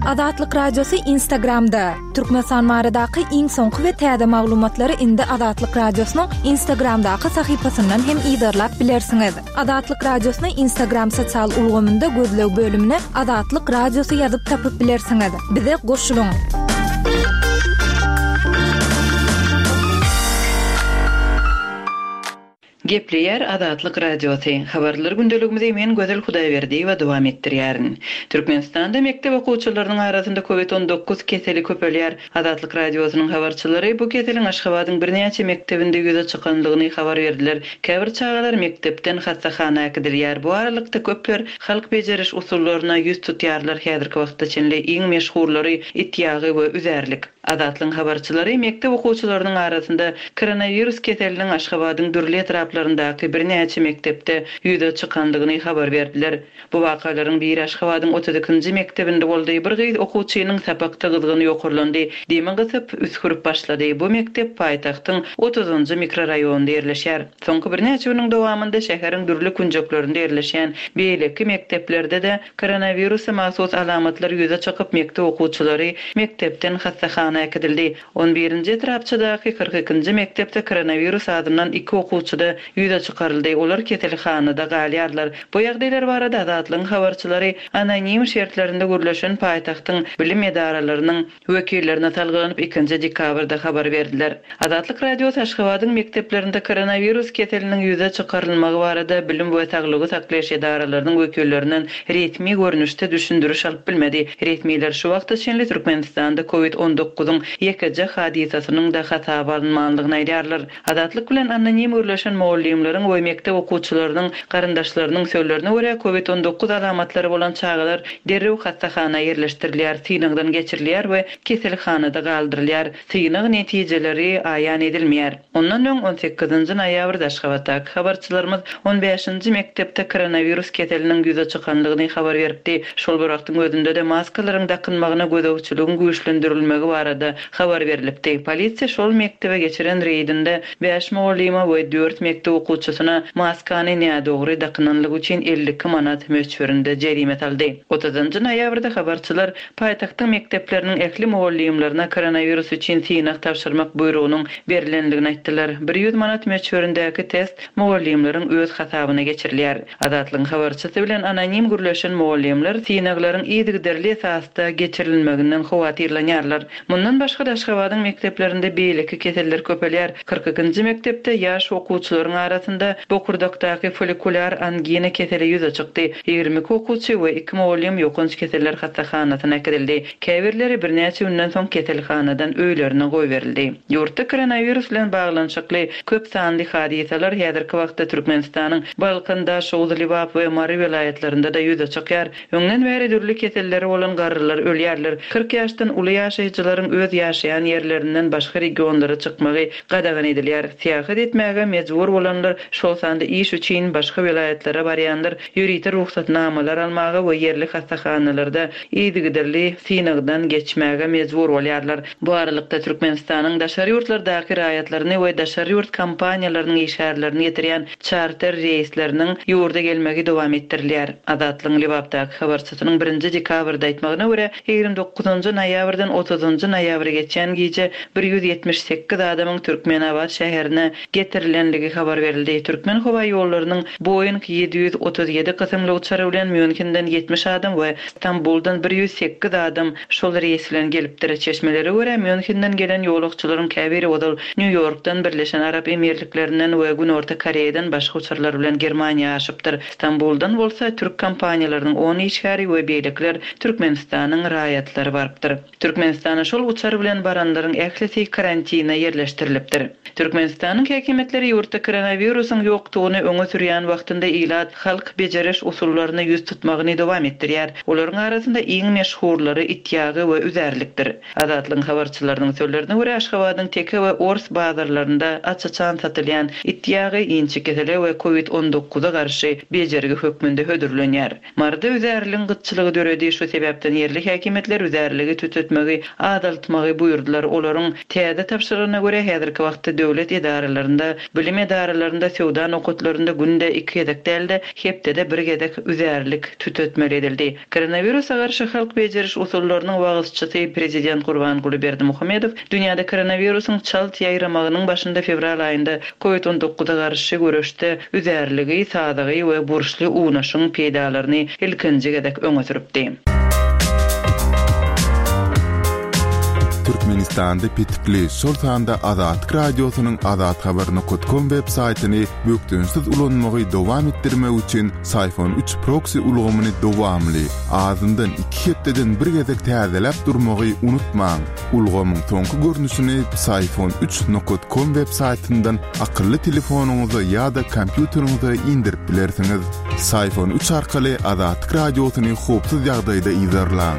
Azatlyk Radiosy Instagramda, Türkmenistan baradaky iň soňky we täze maglumatlary indi Azatlyk Radiosynyň Instagramdaky sahypasyndan hem yzarlap bilersiňiz. Azatlyk Radiosyny Instagram sosial ulgamynda gözleg bölümine Azatlyk Radiosy ýazyp tapyp bilersiňiz. Bize goşulyň! Gepleýär Azatlyk Radiosy, Habarlar gündeligimizi men Gözel Hudaýberdiýewa dowam etdirýärin. Türkmenistanda mekdep okuwçylarynyň arasynda Covid 19 keseli köpelýär. Azatlyk Radiosynyň habarçylary bu keseliň Aşgabadyň birnäçe mekdebinde ýüze çykandygyny habar berdiler. Käbir çagalar mekdepden hassahana äkidilýär. Bu aralykda köpler halk bejeriş usullaryna ýüz tutýarlar, häzirki wagtda çenli iň meşhurlary it ýagy we üzärlik. Azatlygyň habarçylary mekdep okuwçylarynyň arasynda koronawirus keseliniň Aşgabadyň dürli etraplaryndaky birnäçe mekdepde ýüze çykandygyny habar berdiler. Bu wakalaryň biri Aşgabadyň 32 nji mekdebinde boldy, bir gyz okuwçynyň sapakda gyzgyny ýokarlandy, demi gysyp, üsgürip başlady. Bu mekdep paýtagtyň otuzynjy mikroraýonynda ýerleşýär. Soňky birnäçe günüň dowamynda şäheriň dürli künjeklerinde ýerleşýän beýleki mekdeplerde-de Koronawirusa mahsus alamatlar ýüze çykyp, mekdep okuwçylary mekdepden hassahana äkidildi. On birinji etrapçadaky 42 nji mekdepde koronawirus azyndan iki okuwçyda ýüze çykaryldy, olar keselhanada galýarlar. Bu ýagdaýlar barada Azatlygyň habarçylary anonim şertlerinde gürleşen paýtagtyň bilim edaralarynyň wekillerine salgylanyp ikinji dekabrda habar berdiler. Azatlyk Radiosy Aşgabadyň mekdeplerinde koronawirus keseliniň ýüze çykarylmagy barada bilim we saglygy saklaýyş edaralarynyň wekillerinden resmi görnüşde düşündiriş alyp bilmedi. Resmiler şu wagta çenli Türkmenistanda covid on dokuzyň ýekeje hadysasynyň-da hasaba alynmanlygyny aýdýarlar. Azatlyk bilen anonim gürleşen mugallymlaryň we mekdep okuwçylarynyň garyndaşlarynyň sözlerine görä, covid 19 alamatlary bolan çagalar derrew hassahana ýerleşdirilýär, synagdan geçirilýär we keselhanada galdyrylýar. Synag netijeleri aýan edilmeýär. Ondan öň, on sekizinji noýabrda Aşgabatdaky habarçylarymyz on bäşinji mekdepde koronawirus keseliniň ýüze çykandygyny habar beripdi. Şol bir wagtyň özünde-de maskalaryň dakynmagyna gözegçiligiň güýçlendirilmegi barada habar berlipdi. Polisiýa şol mekdebe geçiren reýdinde bäş mugallyma we dört mekdep okuwçysyna maskany nädogry dakynanlygy üçin 52 manat möçberinde jerime saldy. Otuzynjy noýabrda habarçylar paýtagtyň mekdepleriniň ähli mugallymlaryna koronawirus üçin synag tabşyrmak buýrugynyň berlendigini aýtdylar. 100 manat möçberindäki test mugallymlaryň öz hasabyna geçirilýär. Azatlygyň habarçysy bilen anonim gürleşen mugallymlar synaglaryň yzygiderli esasda geçirilmeginden howatyrlanýarlar. Mundan başga-da Aşgabadyň mekdeplerinde beýleki keseller köpelýär. Kyrk ikinji mekdepde ýaş okuwçylaryň arasynda bokurdakdaky follikulýar angina keseli ýüze çykdy. 22 okuwçy we iki mugallym ýokanç keseller hassahanasyna äkidildi. Käbirleri birnäçe günden soň keselhanadan öýlerine goýberildi. Ýurtda koronawirus bilen baglanyşykly köp sanly hadysalar häzirki wagtda Türkmenistanyň Balkan, Daşoguz, Lebap we Mary welaýatlarynda-da ýüze çykýar. Öňden bäri dürli keselleri bolan garrylar ölýärler. 40 ýaşdan uly ýaşaýjylaryň öz ýaşaýan ýerlerinden başga regionlara çykmagy gadagan edilýär. Syýahat etmäge mejbur bolanlar, şol sanda iş üçin başga welaýatlara barýanlar ýörite rugsatnamalar almaga we ýerli hassahanalarda yzygiderli synagdan geçmäge mejbur bolýarlar. Bu aralykda, Türkmenistanyň daşary ýurtlardaky raýatlaryny we daşary ýurt kompaniýalarynyň işgärlerini getirýän çarter reýsleriniň ýurda gelmegi dowam etdirilýär. Azatlygyň Lebapdaky habarçysynyň birinji dekabrda aýtmagyna görä, 29 noýabrdan otuzynjy noýabra geçýän gije 178 adamyň Türkmenabat şäherine getirilenligi habar berildi. Türkmenhowaýollarynyň Boeing 737 kysymly uçary bilen Mýunhenden 70 adam we Stambuldan 108 adam şol reýs bilen gelipdir. Çeşmelere görä, Mýunhenden gelen ýolagçylaryň käbiri ozal Nýu-Ýorkdan, Birleşen Arap Emirliklerinden we Günorta Koreýadan başga uçarlar bilen Germaniýa aşypdyr. Stambuldan bolsa türk kompaniýalarynyň on işgäri we beýlekiler Türkmenistanyň raýatlary barypdyr. Türkmenistana şol uçar bilen baranlaryň ählisi karantina ýerleşdirilipdir. Türkmenistanyň häkimiýetleri ýurtda koronawirusyň ýokdugyny öňe sürýän wagtynda ilat halk bejeriş usullaryna ýüz tutmagyny dowam etdirýär. Olaryň arasynda iň meşhurlary it ýagy we üzärlikdir. Azatlygyň habarçylarynyň sözlerine görä, Aşgabadyň teke we ors bazarlarynda aç-açan satylýan it ýagy inçekesele we covid 19-a garşy bejergi hökmünde hödürlenýär. Maryda üzärligiň gytçylygy döredi, şu sebäpden ýerli häkimiýetler üzärligi tütetmegi azaltmagy buýurdylar. Olaryň täze tabşyrygyna görä, häzirki wagtda döwlet edaralarynda, bilim edaralarynda. edaralarynda, söwda nokatlarynda günde iki gezek däl-de, hepdede bir gezek üzärlik tütetmeli edildi. Koronawirusa garşy halk bejeriş usullarynyň wagyzçysy prezident Gurbanguly Berdimuhamedow dünýäde koronawirusyň çalt ýaýramagynyň başynda fewral aýynda Covid on dokuza garşy göreşde üzärligi, sazagy we burçly unaşyň peýdalaryny ilkinji gezek öňe sürüpdi. Türkmenistanda petikli, şol sanda Azatlyk Radiosynyň azathabar nokat kom web saýtyny bökdençsiz ulanmagy dowam etdirmek üçin Syfon üç proksi ulgamyny dowamly, azyndan iki hepdeden bir gezek täzeläp durmagy unutmaň. Ulgamyň soňky görnüşini Psiphon üç nokat kom web saýtyndan akylly telefonyňyza ýa-da kompýuteriňize indirip bilersiňiz. Psiphon üç arkaly Azatlyk Radiosyny howpsuz ýagdaýda yzarlaň.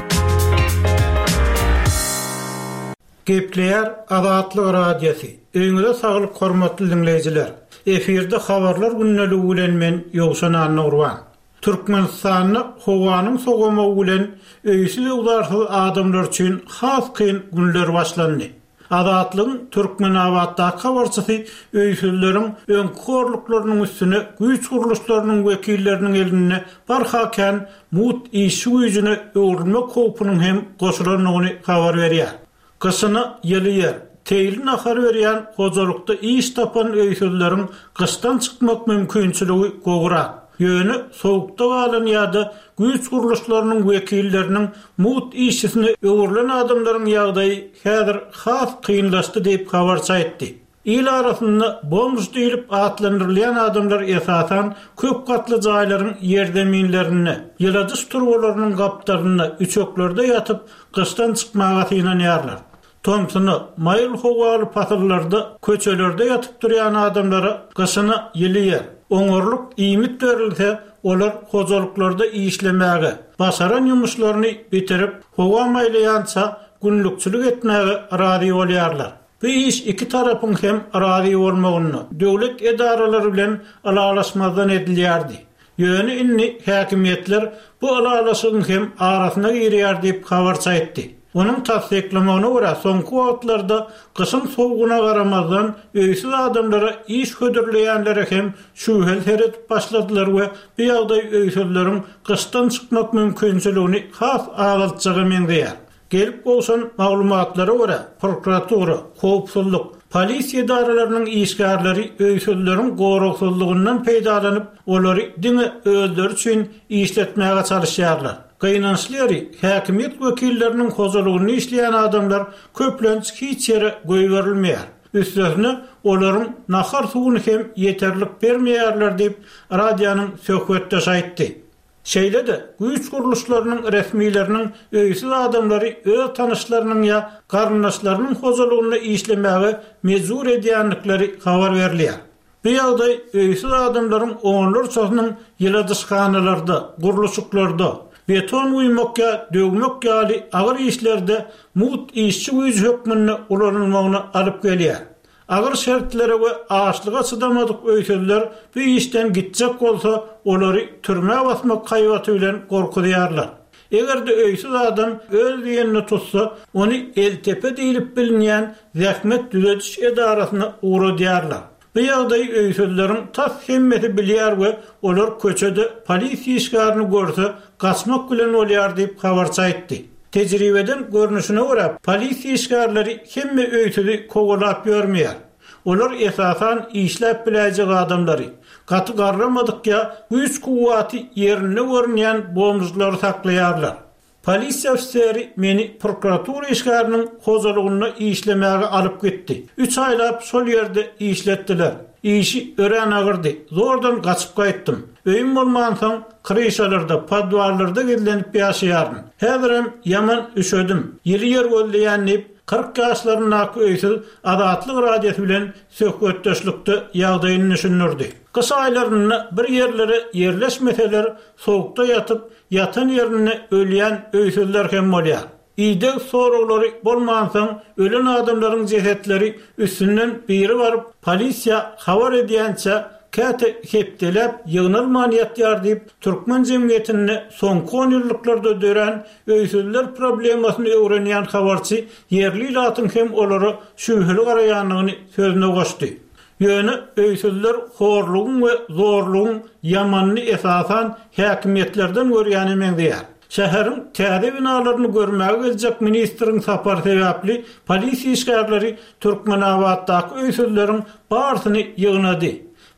Gepleýär Azatlyk Radiosy. Öýüňize saglyk hormatly diňleýjiler. Efirde habarlar gündeligi bilen men Ýowşan Annagurban. Türkmenistanda howanyň sowamagy bilen öýsüz-öwzarsyz adamlar üçin has kyn günler başlandy. Azatlygyň Türkmenabatdaky habarçysy öýsüzleriň öňki horluklarynyň üstüne güýç gurluşlarynyň wekilleriniň elinde barha kän mugt işçi güýjüne öwrülmek howpunyň hem goşulandygyny habar berýär. Gyşyna ýyly ýer, teýli nahar berýän hojalykda iş tapan öýsüzleriň gyşdan çykmak mümkinçiligi gowurak. Ýöne sowukda galan ýa-da güýç gurluşlarynyň wekilleriniň mugt işçisine öwrülen adamlaryň ýagdaýy häzir has kynlaşdy diýip, habarçy aýtdy. Il arasynda bomž diýlip atlandyrylýan adamlar esasan köp gatly jaýlaryň ýerzeminlerinde, ýyladyş turbalarynyň gapdalynda, üçeklerde ýatyp, gyşdan çykmaga synanýarlar. Tomsuna, maýyl howaly pasyllarda köçelerde ýatyp durýan adamlara gyşyna ýyly ýer, oňarlyk iýmit berilse, olar hojalyklarda işlemäge, başaran ýumuşlaryny bitirip, howa maýlaýança günlükçilik etmäge razy bolýarlar. Bu iş iki tarapyň hem razy bolmagynda, döwlet edaralary bilen ylalaşmazdan edilýärdi. Ýöne indi häkimiýetler bu ylalaşygyň hem arasyna girýär diýip, habarçy aýtdy. Onuň tassyklamagyna görä, soňky wagtlarda gyşyň sowugyna garamazdan, öýsüz adamlara iş hödürleýänlere hem şübheli seredip başladylar we bu ýagdaý öýsüzleriň gyşdan çykmak mümkinçiligini has azaltjaga meňzeýär. Gelip gowşan maglumatlara görä, prokuratura, howpsuzlyk, polisiýa edaralarynyň işgärleri öýsüzleriň goragsyzlygyndan peýdalanyp, olary diňe özleri üçin işletmäge çalyşýarlar. Gynançly ýeri, häkimiýet wekilleriniň hojalygynda işleýän adamlar köplenç hiç ýere goýberilmeýär. Üstesine, olaryň nahar-suwuny hem ýeterlik bermeýärler diýip, radionyň söhbetdeşi aýtdy. Şeýle-de, güýç gurluşlarynyň resmileriniň öýsüz adamlary öz tanyşlarynyň ýa garyndaşlarynyň hojalygynda işlemäge mejbur edýändikleri habar berilýär. Bu ýagdaý öýsüz adamlaryň onlarçasynyň ýyladyşhanalarda, gurluşyklarda, beton guýmak ýa döwmek ýaly agyr işlerde mugt işçi güýji hökmünde ulanylmagyna alyp gelýär. Agyr şertlere we açlyga çydamadyk öýsüzler bu işden gitjek bolsa, olary türmä basmak haýbaty bilen gorkuzýarlar. Eger-de öýsüz adam öz diýenini tutsa, ony Eltepe diýlip bilinýän zähmet düzediş edarasyna ugradýarlar. Bu ýagdaýy öýsüzleriň tas hemmesi bilýär we olar köçede polisiýa işgärini görse, gaçmak bilen bolýar diýip, habarçy aýtdy. Tejribeden görnüşine görä, polisiýa işgärleri hemme öýsüzi kowalap ýörmeýär. Olar esasan işläp biläýjek adamlary, gaty garramadyk ýa güýç-kuwwaty ýerinde görünýän bomžlary saklaýarlar. Polisiýa ofiseri meni prokuratura işgäriniň hojalygynda işlemäge alyp gitdi. Üç aýlap şol ýerde işletdiler. Işi örän agyrdy. Zordan gaçyp gaýtdym. Öýüm bolmansoň, kryşalarda, podwallarda gizlenip ýaşaýaryn. Häzirem ýaman üşedim. Ýyly ýer gözleýän diýip, 40 ýaşlaryndaky öýsüz Azatlyk Radiosy bilen söhbetdeşlikde ýagdaýyny düşündirdi. Gyş aýlarynda bir ýerlere ýerleşmeseler, sowukda ýatyp, ýatan ýerinde ölýän öýsüzler hem bolýar. Ideg soraglary bolmansoň, ölen adamlaryň jesetleri üstünden biri baryp, polisiýa habar edýänçä, käte hepdeläp ýygnalman ýatýar diýip, türkmen jemgyýetinde soňky onýyllyklarda dörän öýsüzler problemasyny öwrenýän habarçy ýerli ilatyň hem olara şübheli garaýandygyny sözüne goşdy. Ýöne öýsüzler horlugyň we zorlugyň ýamanyny esasan häkimiýetlerden görýäne meňzeýär. Şäheriň täze binalaryny görmäge geljek ministriň sapary sebäpli polisiýa işgärleri Türkmenabatdaky öýsüzleriň barysyny ýygnady.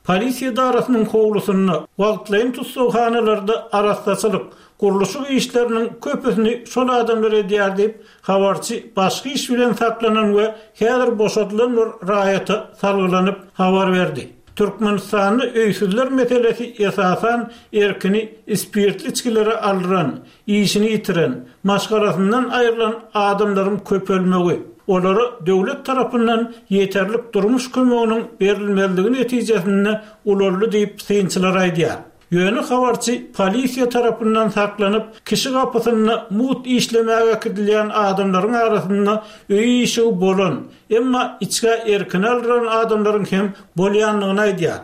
Polisiýa edarasynyň howlusynda, wagtlaýyn tussaghanalarda arassaçylyk, gurluşyk işleriniň köpüsini şol adamlar edýär diýip, habarçy başga iş bilen saklanan we häzir boşadylan bir raýata salgylanyp habar berdi. Türkmenistanda öýsüzler meselesi esasan erkini spirtli içgilere aldyran, işini ýitiren, maşgalasyndan aýrylan adamlaryň köpelmegi, olara döwlet tarapyndan ýeterlik durmuş kömeginiň berilmezligi netijesinde ulaldy diýip, synçylar aýdýar. Ýöne habarçy polisiýa tarapyndan saklanyp, kişi gapysynda mugt işlemäge äkidilýän adamlaryň arasynda öýi-işigi bolan, emma içgä erkini aldyran adamlaryň hem bolýandygyny aýdýar.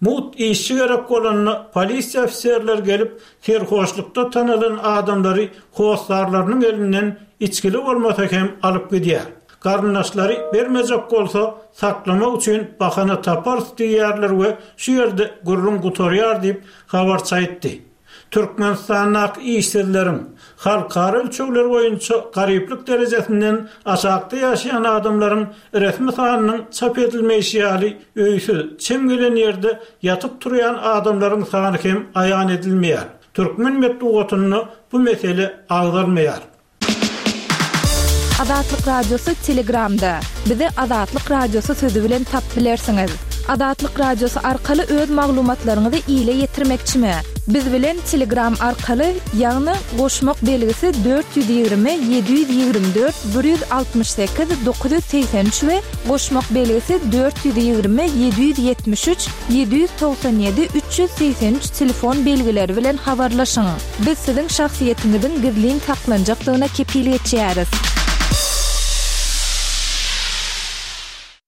Mugt işçi gerek bolanda polisiýa ofiserleri gelip, serhoşlukda tanalan adamlary hossarlarynyň elinden içgili bolmasa hem alyp gidýär. Garyndaşlary bermejek bolsa, saklamak üçin bahana taparys diýýärler we şu ýerde gürrüň gutarýar diýip, habarçy aýtdy. Türkmenistandaky işsizleriň, halkara ölçegleri boýunça garyplyk derejesinden aşakda ýaşaýan adamlaryň resmi sanynyň çap edilmeýşi ýaly öýsüz, çem gelen ýerde ýatyp-turýan adamlaryň sany hem aýan edilmeýär. Türkmen metbugatynda bu mesele agzalmaýar. Azatlyk Radiosy Telegramda. Bizi Azatlyk Radiosy sözi bilen tap bilersiňiz. Azatlyk Radiosy arkaly öz maglumatlaryňyzy ile ýetirmekçimi? Biz bilen Telegram arkaly, ýagny goşmak belgisi 420 724 168 983 we goşmak belgisi 420 773 797 383 telefon belgileri bilen habarlaşyň. Biz siziň şahsyýetiňiziň gizlin saklanjakdygyna kepil geçýäris.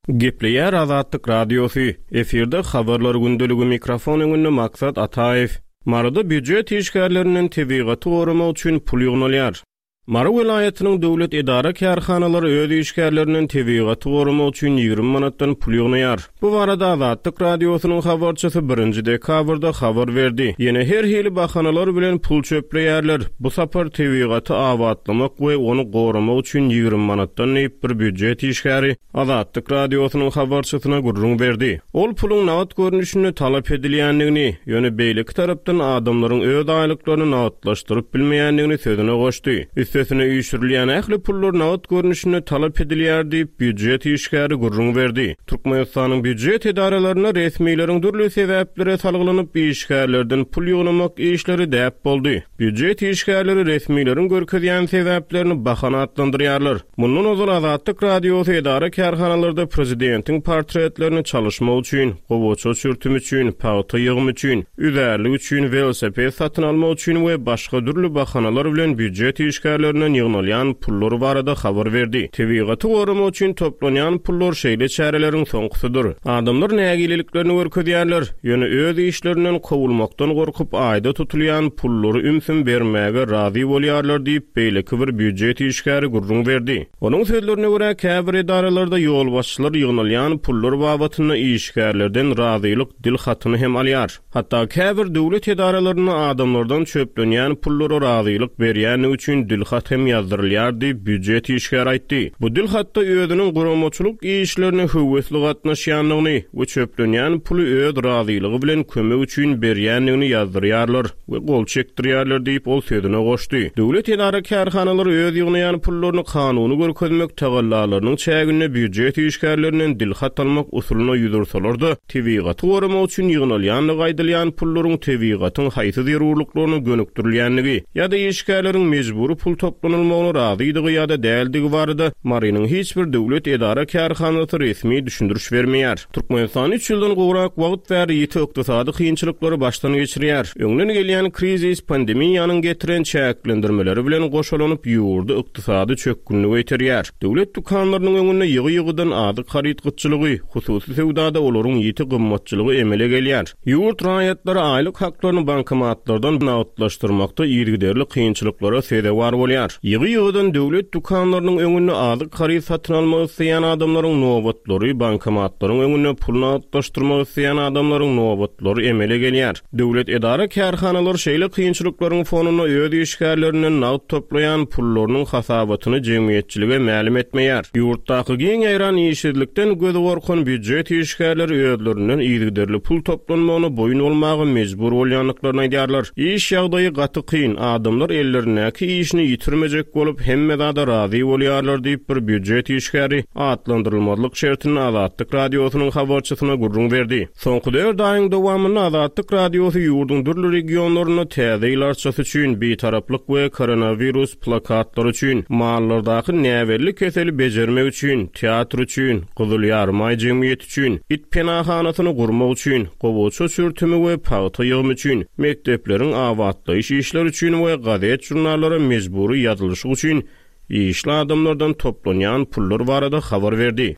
Gepleýär Azatlyk Radiosy, efirde Habarlar gündeligi mikrofon öňünde Maksat Ataýew. Maryda býujet işgärlerinden tebigaty goramak üçin pul ýygnalýar. Mary welaýatynyň döwlet edara-kärhanalary öz işgärlerinden tebigaty goramak üçin 20 manatdan pul ýygnaýar. Bu barada Azatlyk Radiosynyň habarçysy birinji dekabrda habar berdi. Ýene her hili bahanalar bilen pul çöpleýärler. Bu sapar tebigaty abatlamak we ony goramak üçin 20 manatdan diýip, bir býujet işgäri Azatlyk Radiosynyň habarçysyna gürrüň berdi. Ol puluň nagt görnüşinde talap edilýändigini, ýöne beýleki tarapdan adamlaryň öz aýlyklaryny nagtlaşdyryp bilmeýändigini sözüne goşdy. Üstesine üýşürilýän ähli pullar nagt görnüşinde talap edilýär diýip, býujet işgäri gürrüň berdi. Türkmenistanyň býujet edaralarynda resmileriň dürli sebäplere salgylanyp işgärlerden pul ýygnamak işleri däp boldy. Býujet işgärleri resmileriň görkezýän sebäplerini bahana atlandyrýarlar. Mundan ozal Azatlyk Radiosy edara-kärhanalarda prezidentiň portretlerini çalyşmak üçin, gowaça çürtüm üçin, pagta ýygymy üçin, üzärlik üçin, welosiped satyn almak üçin we başga dürli bahanalar bilen býujet işgärlerinden ýygnalýan pullar barada habar berdi. Tebigaty goramak üçin toplanýan pullar şeýle çäreleriň soňkusydyr. Adamlar nägileliklerini görkezýärler, ýöne öz işlerinden kowulmakdan gorkup aýda tutulýan pullary ümsüm bermäge razy bolýarlar diýip, beýleki bir býujet işgäri gürrüň berdi. Onuň sözlerine görä, käbir edaralarda ýolbaşçylar ýygnalýan pullar babatynda işgärlerden razylyk dil hatyny hem alýar. Hatda käbir döwlet edaralarynda adamlardan çöplenýän pullara razylyk berýändigi üçin dil hat hem ýazdyrylýar diýip, býujet işgäri aýtdy. Bu dil hatda özüniň guramaçylyk işlerine höwesli gatnaşýandygyny we çöplenýän puly öz razylygy bilen kömek üçin berýändigini ýazdyrýarlar we gol çekdirýärler diýip, ol sözüne goşdy. Döwlet edara-kärhanalary öz ýygnaýan pullaryny kanuny görkezmek tagallalarynyň çäginde býujet işgärlerinden dil hat almak usulyna ýüz ursalar-da, Tebigaty goramak üçin ýygnalýandygy aýdylýan pullaryň tebigatyň haýsy zerurlyklaryna gönükdirilýändigi ýa-da işgärleriň mejbury pul toplanylmagyna razydygy ýa-da däldigi barada Marynyň hiç bir döwlet edara-kärhanasy resmi düşündiriş bermeýär. Türkmenistan üç ýyldan gowrak wagt bäri ýiti ykdysady kynçylyklary başdan geçirýär. Öňden gelýän krizis pandemiýanyň getiren çäklendirmeleri bilen goşalanyp, ýurdy ykdysady çökgünlige iterýär. Döwlet dükanlarynyň öňünde ýygy-ýygydan azyk haryt gytçylygy, hususy söwdada olaryň ýiti gymmatçylygy emele gelýär. Ýurt raýatlary aýlyk haklaryny bankomatlardan nagtlaşdyrmakda yzygiderli kynçylyklara sezewar bolýar. bolýar. Ýygy-ýygydan döwlet dükanlarynyň öňünde azyk haryt satyn almak isleýän adamlaryň nobatlary, bankomatlaryň öňünde pul nagtlaşdyrmak isleýän adamlaryň nobatlary emele gelýär. Döwlet edara-kärhanalar şeýle kynçylyklaryň fonunda öz işgärlerinden nagt toplaýan pullarynyň hasabatyny jemgyýetçilige mälim etmeýär. Ýurtdaky giň ýaýran işsizlikden gözi gorkan býujet işgärleri özlerinden yzygiderli pul toplanmagyna boýun bolmaga mejbur bolýandyklaryny aýdýarlar. Iş ýagdaýy gaty kyn, adamlar ellerindäki işini ýitirmejek bolup, hemme zada razy bolýarlar diýip, bir býujet işgäri atlandyrylmazlyk şertinde Azatlyk Radiosynyň habarçysyna gürrüň berdi. Soňky dört aýyň dowamynda Azatlyk Radiosy ýurduň dürli regionlarynda Täze ýyl arçasy üçin, Bitaraplyk we koronawirus plakatlary üçin, mallardaky näbelli keseli bejermek üçin, teatr üçin, Gyzyl Ýarymaý jemgyýeti üçin, it penahanasyny gurmak üçin, gowaça çürtümi we pagta ýygymy üçin, mekdepleriň abatlaýyş işleri üçin we gazet-žurnallara mejbury ýazylyşyk üçin Işli adamlardan toplanýan pullar barada habar berdi.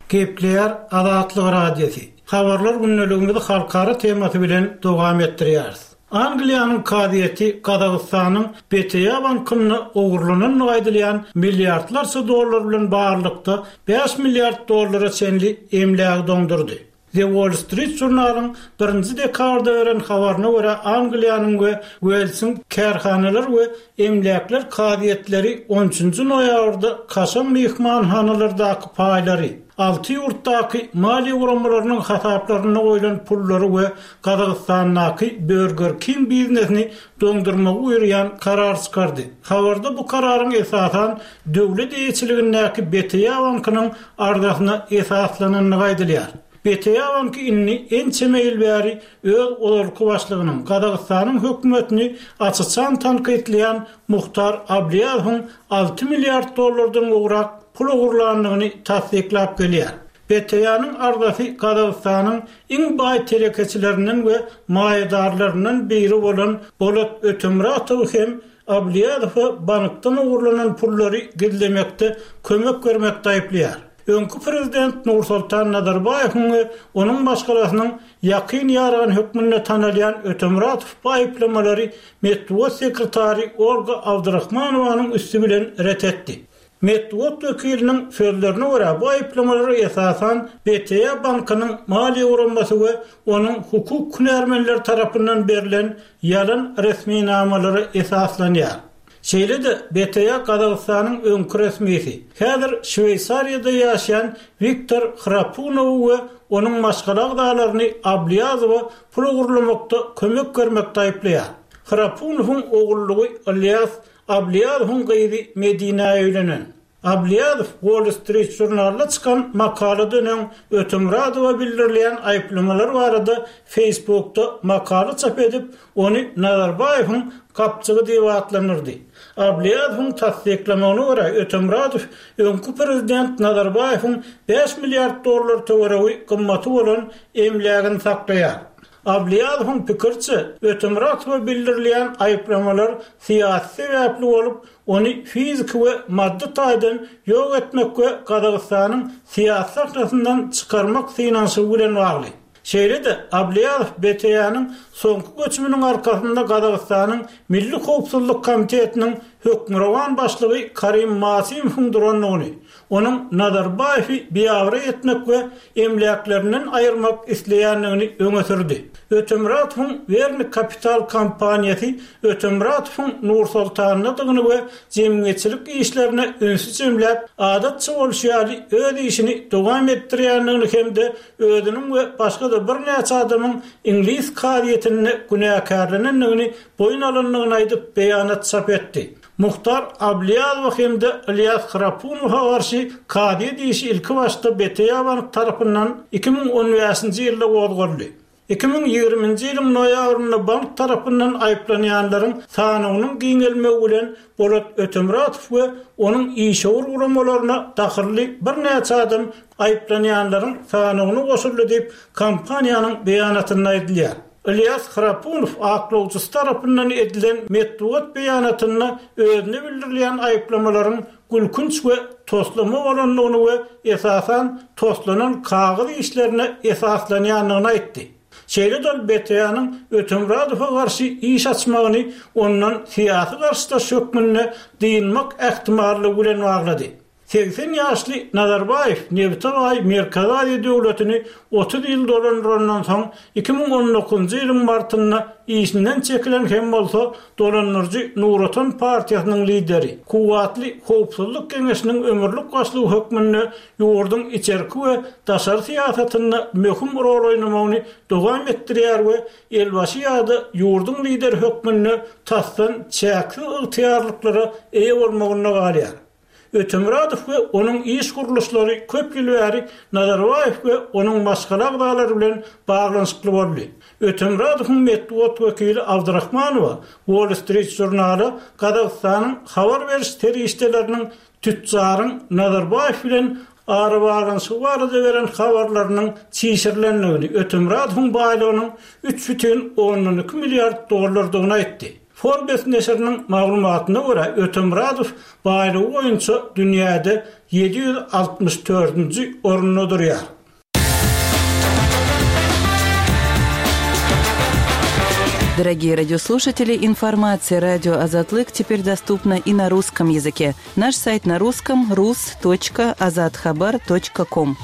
Gepleýär Azatlyk Radiosy. Habarlar gündeligimizi halkara temasy bilen dowam etdirýäris. Angliýanyň kazyýeti Gazagystanyň BTA bankynda ogurlanandygy aýdylýan milliardlarça dollar bilen baglylykda bäş milliard dollara çenli emlägi doňdurdy. The Wall Street Journal-yň birinji dekabrda beren habaryna görä, Angliýanyň we Uelsiň kärhanalar we emläkler kazyýetleri on üçünji noýabrda kaşaň myhmanhanalardaky paýlary, alty ýurtdaky maliýe guramalarynyň hasaplarynda goýlan pullary we Gazagystandaky Burger King biznesini doňdurmagy buýurýan karar çykardy. Habarda bu kararyň esasan döwlet eýeçiligindäki BTA bankynyň arzasyna esaslanandygy aýdylýar. BTA banky indi ençeme ýyl bäri öz ozalky başlygynyň, Gazagystanyň hökümetini aç-açan tankytlaýan Muhtar Ablýazowyň alty milliard dollardan gowrak pul ogurlandygyny tassyklap gelýär. BTA-nyň arzasy Gazagystanyň iň baý telekeçilerinden we maýadarlaryndan biri bolan Bolat Ötemuratowy hem Ablýazowa bankdan ogurlanan pullary gizlemekde kömek bermekde aýyplaýar. Öňki prezident Nursoltan Nazarbaýewiň we onuň maşgalasynyň ýakyn ýarany hökmünde tanalýan Ötemuratow bu aýyplamalary metbugat sekretary Olga Abdurahmanowanyň üsti bilen ret etdi. Metbugat wekiliniň sözlerine görä, bu aýyplamalar esasan BTA bankynyň maliýe guramasy we onuň hukuk hünärmenleri tarapyndan berlen ýalan resminamalara esaslanýar. Şeýle-de, BTA Gazagystanyň öňki resmisi, häzir Şweýsariýada ýaşaýan Wiktor Hrapunowy we onuň maşgala agzalaryny Ablýazowa pul ogurlamakda kömek bermekde aýyplaýar. Hrapunowyň ogullygy Ylýas Ablýazowyň gyzy Medinä öýlenen. Ablýazow Wall Street žurnalynda çykan makaladan öň Ötemuradowa bildirilýän aýyplamalar barada Facebookda makala çap edip, ony Nazarbaýewiň gapjygy diýip atlandyrdy. Ablýazowyň tassyklamagyna görä, Ötemuradow öňki prezident Nazarbaýewiň bäş milliard dollar töweregi gymmaty bolan emlägini saklaýar. Ablýazowyň pikiriçe, Ötemuratowa bildirilýän aýyplamalar syýasy sebäpli bolup, ony fiziki we maddy taýdan ýok etmek we Gazagystanyň syýasy sahnasyndan çykarmak synanyşygy bilen bagly. Şeýle-de, Ablýazow BTA-nyň soňky göçüminiň arkasynda Gazagystanyň Milli howpsuzlyk komitetiniň hökmürowan başlygy Karim Masimowyň durandygyny, onuň Nazarbaýewi biabraý etmek we emläklerinden aýyrmak isleýändigini öňe sürdi. Ötemuratowyň Werni Kapital kompaniýasy Ötemuratowyň Nur-Sultandadygyny we jemgyýetçilik işlerine ünsi jemläp, adatça bolşy ýaly öz işini dowam etdirýändigini hem-de özüniň we başga-da birnäçe adamyň iňlis kazyýetinde günäkärlenendigini boýun alandygyny aýdyp beýanat çap etdi. Muhtar Ablýazowa hem-de Ylýas Hrapunowa garşy kazyýet işi ilkibaşda BTA Bank tarapyndan 2015-nji ýylda gozgaldy. 2020-nji ýylyň noýabrynda bank tarapyndan aýyplanýanlaryň sanawynyň giňelmegi bilen Bolat Ötemuratow we onuň işewür guramalaryna dahylly birnäçe adam aýyplanýanlaryň sanawyna goşuldy diýip, kompaniýanyň beýanatynda aýdylýar. Ylýas Hrapunow aklawçysy tarapyndan edilen metbugat beýanatynda özüne bildirilýän aýyplamalaryň gülkünç we toslama bolandygyny we esasan toslanan kagyz işlerine esaslanýandygyny aýtdy. Şeýle-de ol BTA-nyň Ötemuradowa garşy iş açmagyny ondan syýasy garşydaş hökmünde dynmak ähtimallygy bilen baglady. 80 ýaşly Nazarbaýew nebite baý Merkezi Aziýa döwletini 30 ýyl dolandyrandan soň, 2019-njy ýylyň martynda işinden çekilen hem bolsa, dolandyryjy Nur Otan partiýasynyň lideri, kuwwatly Howpsuzlyk geňeşiniň ömürlik başlygy hökmünde ýurduň içerki we daşary syýasatynda möhüm rol oýnamagyny dowam etdirýär we elbaşy ýa-da ýurduň lideri hökmünde tasdan çäksiz ygtyýarlyklara eýe bolmagynda galýar. Ötemyradow we onuň iş gurluşlary köp ýyl bäri Nazarbaýew we onuň maşgala agzalary bilen baglanyşykly boldy. Ötemyradowyň metbugat wekili Abdyrahmanowa Wall Street Journal-a Gazagystanyň habar beriş serişdeleriniň tütjaryň Nazarbaýew bilen arabaglanyşygy barada beren habarlarynyň çişirilendigini, Ötemyradowyň baýlygynyň 3,2 milliard dollardygyny aýtdy. Forbes neşiriniň maglumatyna görä, Ötemyradow baýlygy boýunça dünýäde 764-nji orunda durýar. Дорогие радиослушатели, информация радио Азатлык теперь доступна и на русском языке. Наш сайт на русском rus.azathabar.com.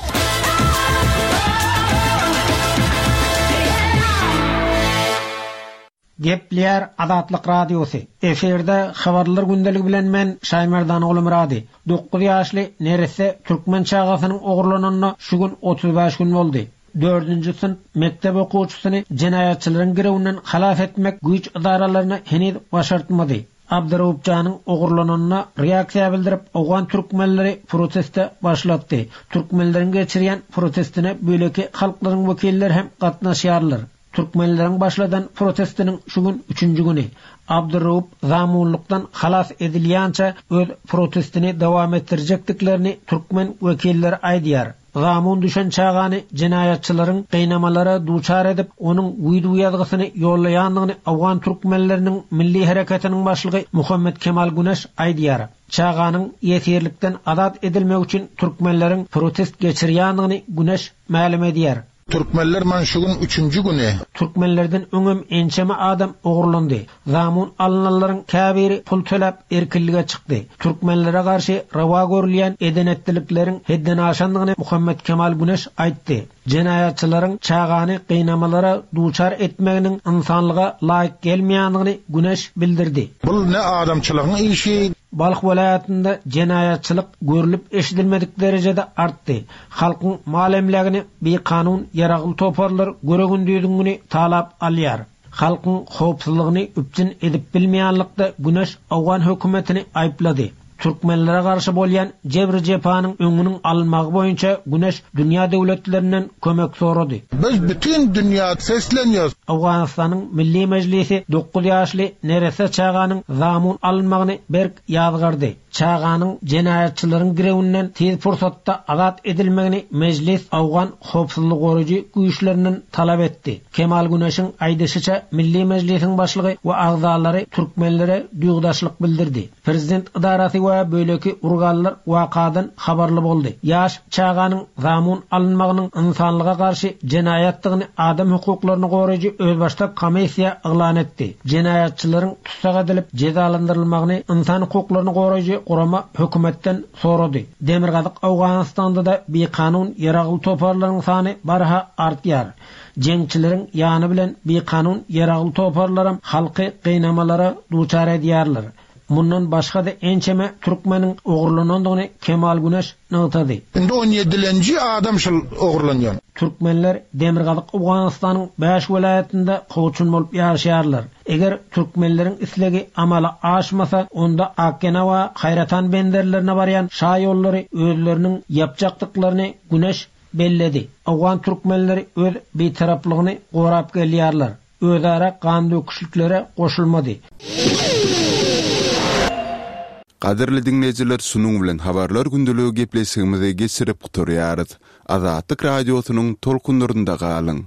Gepleýär Azatlyk Radiosy, Efirde Habarlar gündeligi bilen men Şaýmerdan Gulumyrady. Dokuz ýaşly neresse türkmen çagasynyň ogurlananyna şu gün 35 gün boldy. Dördünji synp mekdep okuwçysyny jenaýatçylaryň girewinden halas etmek güýç ydaralaryna heniz başartmady. Abdyraup janyň ogurlananyna reaksiýa bildirip owgan türkmenleri proteste başlatdy. Türkmenleriň geçirýän protestine beýleki halklaryň wekilleri hem gatnaşýarlar. Türkmenleriň başladan protestiniň şu gün üçünji güni. Abdurraup zamunlykdan halas edilýänçä öz protestini dowam etdirjekdiklerini türkmen wekilleri aýdýar. Zamun düşen çagany jenaýatçylaryň gynamalara duçar edip, onuň wideo ýazgysyny ýollaýandygyny owgan türkmenleriniň milli hereketiniň başlygy Muhammet Kemal Güneş aýdýar. Çaganyň ýesirlikden azat edilmegi üçin türkmenleriň protest geçirýändigini Güneş mälim edýär. Türkmenler man şu gün üçünji güni. Türkmenlerden öňem ençeme adam ogurlandy. Zamun alynanlaryň käbiri pul töläp erkinlige çykdy. Türkmenlere garşy rowa görülýän eden-etdilikleriň hetden aşandygyny Muhammet Kemal Güneş aýtdy. Jenaýatçylaryň çagany gynamalara duçar etmeginiň ynsanlyga laýyk gelmeýändigini Güneş bildirdi. Bul ne adamçylygyň işi. Balh welaýatynda jenaýatçylyk görlüp-eşidilmedik derejede artdy. Halkyň mal-emlägini bikanun ýaragly toparlar göre-gündiziň güni talap alýar. Halkyň howpsuzlygyny üpjün edip bilmeýänlikde Güneş owgan hökümetini aýyplady. Türkmenlere garşy bolýan jebri-jepanyň öňüniň alynmagy boýunça Güneş dünýä döwletlerinden kömek sorady. Biz bütin dünýä seslenýäs. Owganystanyň Milli Mejlisi dokuz ýaşly neresse çaganyň zamun alynmagyny berk ýazgardy. Çaganyň jenaýatçylaryň girewinden tiz pursatda azat edilmegini Mejlis owgan howpsuzlygy goraýjy güýçlerinden talap etdi. Kemal Güneşiň aýdyşyça, Milli Mejlisiň başlygy we agzalary türkmenlere duýgudaşlyk bildirdi. Prezident ydarasy we beýleki urganlar wakadan habarly boldy. Ýaş çaganyň zamun alynmagynyň ynsanlyga garşy jenaýatdygyny adam hukuklaryny goraýjy özbaşdak komissiýa yglan etdi. Jenaýatçylaryň tussag edilip jezalandyrylmagyny ynsan hukuklaryny goraýjy gurama hökümetden sorady. Demirgazyk Owganystanda-da bikanun ýaragly toparlaryň sany barha artýar. Jeňçileriň ýany bilen bikanun ýaragly toparlaram halky gynamalara duçar edýärler. Mundan başga-da ençeme türkmeniň ogurlanandygyny Kemal Güneş nygtady. Indi on ýedilenji adam şul ogurlanýan. Türkmenler Demirgazyk Owganystanyň bäş welaýatynda kowçum bolup ýaşaýarlar. Eger türkmenleriň islegi amala aşmasa, onda Akgena we Haýratan benderlerine barýan şa ýollary özleriniň ýapjakdyklaryny Güneş belledi. Owgan türkmenleri öz bitaraplygyny gorap gelýärler. Özara gandöküşliklere goşulmady. Gadyrly diňleýjiler şunuň bilen Habarlar gündeligi gepleşigimizi geçirip gutarýarys. Azatlyk Radiosynyň tolkunlarynda galyň.